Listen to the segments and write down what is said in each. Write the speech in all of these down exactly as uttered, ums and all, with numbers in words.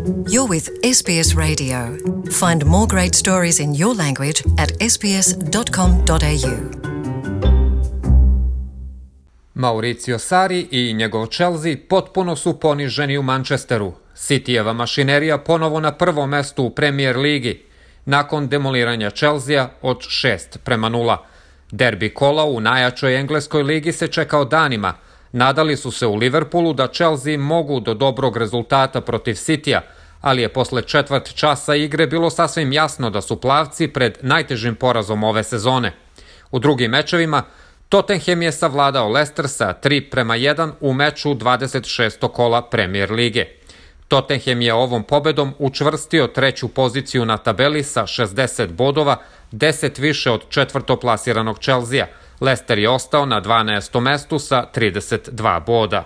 You're with S B S Radio. Find more great stories in your language at s b s dot com dot a u. Mauricio Sarri i njegov Chelsea potpuno su poniženi u Manchesteru. Cityjeva mašinerija ponovo na prvom mestu u Premier ligi, nakon demoliranja Chelsea od šest prema nula. Derbi kola u najjačoj engleskoj ligi se čekao danima. Nadali su se u Liverpoolu da Chelsea mogu do dobrog rezultata protiv Cityja, ali je posle četvrt časa igre bilo sasvim jasno da su plavci pred najtežim porazom ove sezone. U drugim mečevima Tottenham je savladao Leicester sa tri prema jedan u meču dvadeset šestog kola Premier lige. Tottenham je ovom pobedom učvrstio treću poziciju na tabeli sa šezdeset bodova, deset više od četvrtoplasiranog Chelsea. Leicester je ostao na dvanaestom mestu sa trideset dva boda.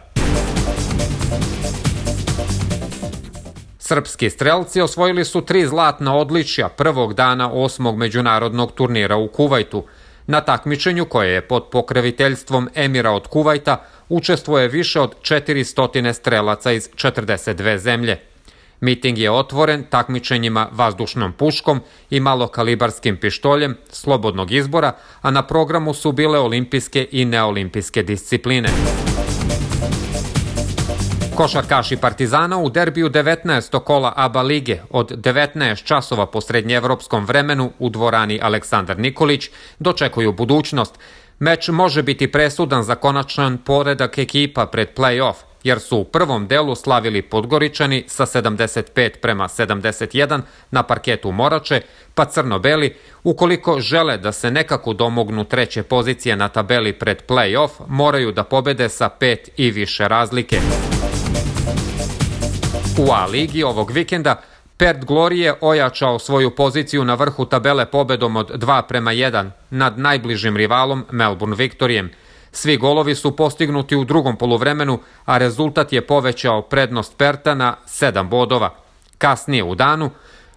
Srpski strelci osvojili su tri zlatna odličja prvog dana osmog međunarodnog turnira u Kuvajtu. Na takmičenju, koje je pod pokroviteljstvom Emira od Kuvajta, učestvuje više od četiristo strelaca iz četrdeset dve zemlje. Miting je otvoren takmičenjima vazdušnom puškom i malokalibarskim pištoljem slobodnog izbora, a na programu su bile olimpijske i neolimpijske discipline. Košarkaši Partizana u derbiju devetnaestog kola A B A lige od devetnaest časova po srednjeevropskom vremenu u dvorani Aleksandar Nikolić dočekuju budućnost. Meč može biti presudan za konačan poredak ekipa pred play-off, jer su u prvom delu slavili Podgoričani sa sedamdeset pet prema sedamdeset jedan na parketu Morače, pa crno-beli, ukoliko žele da se nekako domognu treće pozicije na tabeli pred play-off, moraju da pobede sa pet i više razlike. U A ligi ovog vikenda Perth Glory je ojačao svoju poziciju na vrhu tabele pobedom od dva prema jedan nad najbližim rivalom Melbourne Victorijem. Svi golovi su postignuti u drugom poluvremenu, a rezultat je povećao prednost Perta na sedam bodova. Kasnije u danu,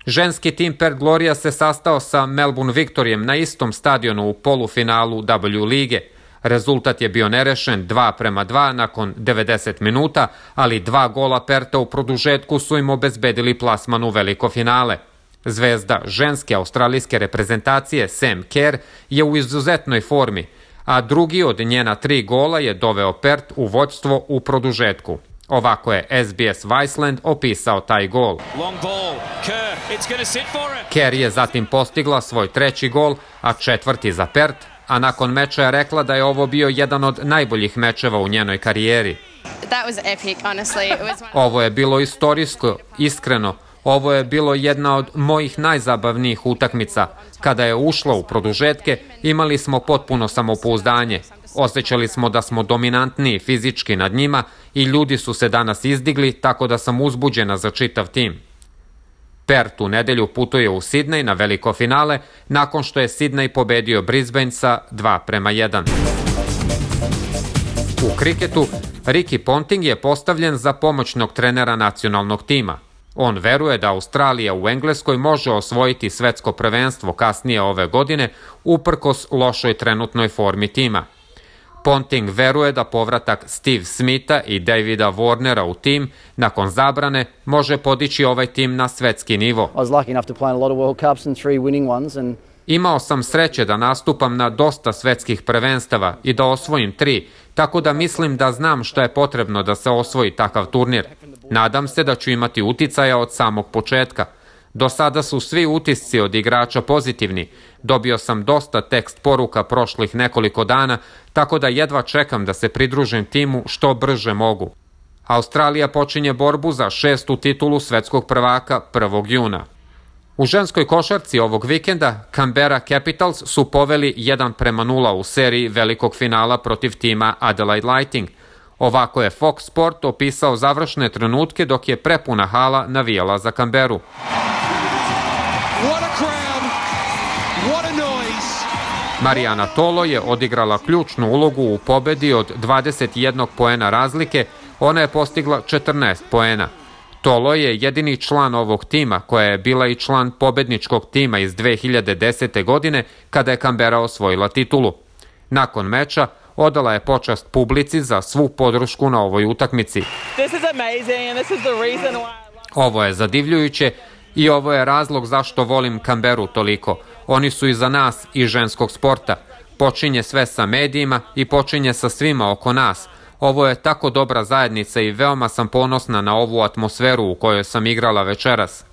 ženski tim Perth Gloria se sastao sa Melbourne Victorijem na istom stadionu u polufinalu W lige. Rezultat je bio nerešen dva prema dva nakon devedeset minuta, ali dva gola Perta u produžetku su im obezbedili plasman u veliko finale. Zvezda ženske australijske reprezentacije Sam Kerr je u izuzetnoj formi, a drugi od njena tri gola je doveo Perth u vođstvo u produžetku. Ovako je S B S Viceland opisao taj gol. Kerr je zatim postigla svoj treći gol, a četvrti za Perth, a nakon meča je rekla da je ovo bio jedan od najboljih mečeva u njenoj karijeri. Ovo je bilo istorijsko, iskreno. Ovo je bilo jedna od mojih najzabavnijih utakmica. Kada je ušla u produžetke, imali smo potpuno samopouzdanje. Osjećali smo da smo dominantniji fizički nad njima i ljudi su se danas izdigli, tako da sam uzbuđena za čitav tim. Perth u nedelju putuje u Sidney na veliko finale, nakon što je Sidney pobedio Brisbane sa dva prema jedan. U kriketu, Ricky Ponting je postavljen za pomoćnog trenera nacionalnog tima. On veruje da Australija u Engleskoj može osvojiti svetsko prvenstvo kasnije ove godine, uprkos lošoj trenutnoj formi tima. Ponting veruje da povratak Steve Smitha i Davida Warnera u tim, nakon zabrane, može podići ovaj tim na svetski nivo. Imao sam sreće da nastupam na dosta svetskih prvenstava i da osvojim tri, tako da mislim da znam šta je potrebno da se osvoji takav turnir. Nadam se da ću imati uticaja od samog početka. Do sada su svi utisci od igrača pozitivni. Dobio sam dosta tekst poruka prošlih nekoliko dana, tako da jedva čekam da se pridružim timu što brže mogu. Australija počinje borbu za šestu titulu svetskog prvaka prvog juna. U ženskoj košarci ovog vikenda Canberra Capitals su poveli jedan prema nula u seriji velikog finala protiv tima Adelaide Lightning. Ovako je Fox Sport opisao završne trenutke dok je prepuna hala navijala za Canberru. Marijana Tolo je odigrala ključnu ulogu u pobedi od dvadeset jedan poena razlike, ona je postigla četrnaest poena. Tolo je jedini član ovog tima koja je bila i član pobedničkog tima iz dve hiljade desete. godine kada je Canberra osvojila titulu. Nakon meča odala je počast publici za svu podršku na ovoj utakmici. Ovo je zadivljujuće i ovo je razlog zašto volim Canberru toliko. Oni su iza nas i ženskog sporta. Počinje sve sa medijima i počinje sa svima oko nas. Ovo je tako dobra zajednica i veoma sam ponosna na ovu atmosferu u kojoj sam igrala večeras.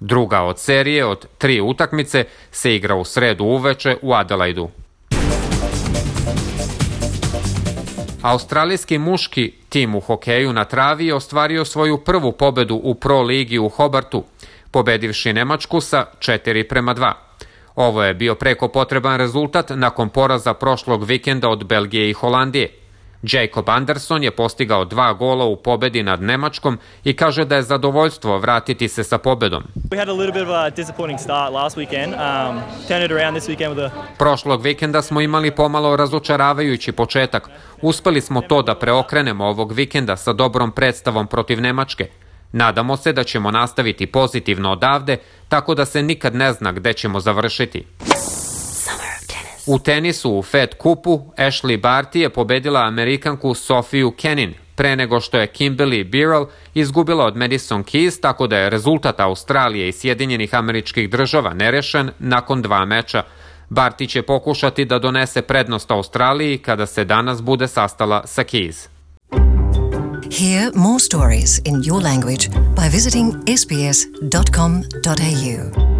Druga od serije od tri utakmice se igra u sredu uveče u Adelaidu. Australijski muški tim u hokeju na travi je ostvario svoju prvu pobedu u Pro ligi u Hobartu, pobedivši Nemačku sa četiri prema dva. Ovo je bio preko potreban rezultat nakon poraza prošlog vikenda od Belgije i Holandije. Jacob Anderson je postigao dva gola u pobedi nad Nemačkom i kaže da je zadovoljstvo vratiti se sa pobedom. Prošlog vikenda smo imali pomalo razočaravajući početak. Uspeli smo to da preokrenemo ovog vikenda sa dobrom predstavom protiv Nemačke. Nadamo se da ćemo nastaviti pozitivno odavde, tako da se nikad ne zna gde ćemo završiti. U tenisu u Fed kupu Ashley Barty je pobedila Amerikanku Sofiju Kenin pre nego što je Kimberly Birrell izgubila od Madison Keys, tako da je rezultat Australije i Sjedinjenih Američkih Država nerešen nakon dva meča. Barty će pokušati da donese prednost Australiji kada se danas bude sastala sa Keys. Hear more stories in your language by visiting s b s dot com dot a u.